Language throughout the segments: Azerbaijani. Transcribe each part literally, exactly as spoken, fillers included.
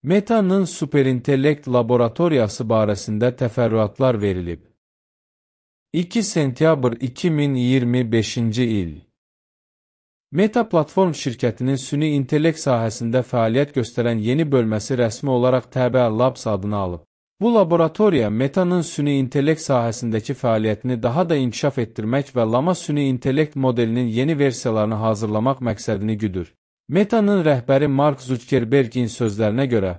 Meta'nın superintellekt laboratoriyası barəsində təfərrüatlar verilib. iki sentyabr iki min iyirmi beşinci il. Meta Platform şirkətinin süni intellekt sahəsində fəaliyyət göstərən yeni bölməsi rəsmi olaraq T B Labs adını alıb. Bu laboratoriya Meta'nın süni intellekt sahəsindəki fəaliyyətini daha da inkişaf etdirmək və Llama süni intellekt modelinin yeni versiyalarını hazırlamaq məqsədini güdür. Meta'nın rəhbəri Mark Zuckerbergin sözlərinə görə,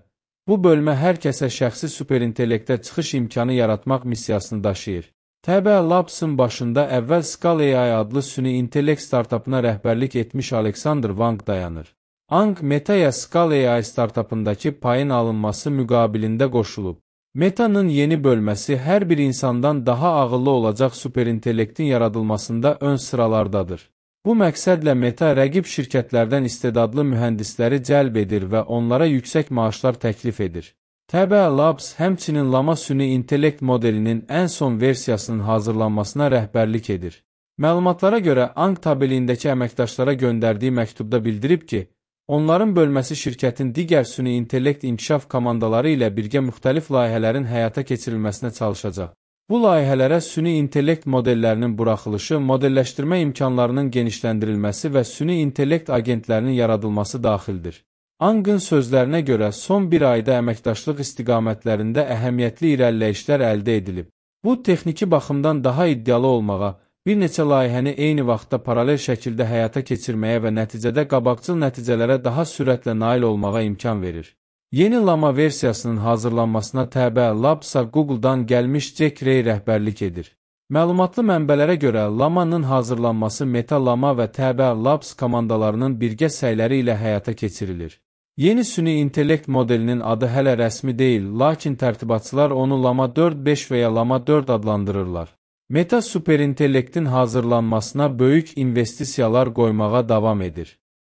bu bölmə hər kəsə şəxsi superintellektə çıxış imkanı yaratmaq missiyasını daşıyır. T B Labs'ın başında əvvəl Skull A I adlı süni intellekt startapına rəhbərlik etmiş Alexander Wang dayanır. Wang, Meta'ya Skull A I startapındakı payın alınması müqabilində qoşulub. Meta'nın yeni bölməsi hər bir insandan daha ağıllı olacaq superintellektin yaradılmasında ön sıralardadır. Bu məqsədlə Meta rəqib şirkətlərdən istedadlı mühəndisləri cəlb edir və onlara yüksək maaşlar təklif edir. T B Labs həmçinin Llama süni intellekt modelinin ən son versiyasının hazırlanmasına rəhbərlik edir. Məlumatlara görə Wang tabeliyindəki əməkdaşlara göndərdiyi məktubda bildirib ki, onların bölməsi şirkətin digər süni intellekt inkişaf komandaları ilə birgə müxtəlif layihələrin həyata keçirilməsinə çalışacaq. Bu layihələrə süni intellekt modellərinin buraxılışı, modelləşdirmə imkanlarının genişləndirilməsi və süni intellekt agentlərinin yaradılması daxildir. Wang'ın sözlərinə görə son bir ayda əməkdaşlıq istiqamətlərində əhəmiyyətli irəliləyişlər əldə edilib. Bu, texniki baxımdan daha iddialı olmağa, bir neçə layihəni eyni vaxtda paralel şəkildə həyata keçirməyə və nəticədə qabaqcıl nəticələrə daha sürətlə nail olmağa imkan verir. Yeni Llama versiyasının hazırlanmasına T B Labs'a Google'dan gəlmiş Jack Ray rəhbərlik edir. Məlumatlı mənbələrə görə Llama-nın hazırlanması Meta Llama və T B Labs komandalarının birgə səyləri ilə həyata keçirilir. Yeni süni intellekt modelinin adı hələ rəsmi deyil, lakin tərtibatçılar onu Llama dörd beş və ya Llama dörd adlandırırlar. Meta superintellektin hazırlanmasına böyük investisiyalar qoymağa davam edir.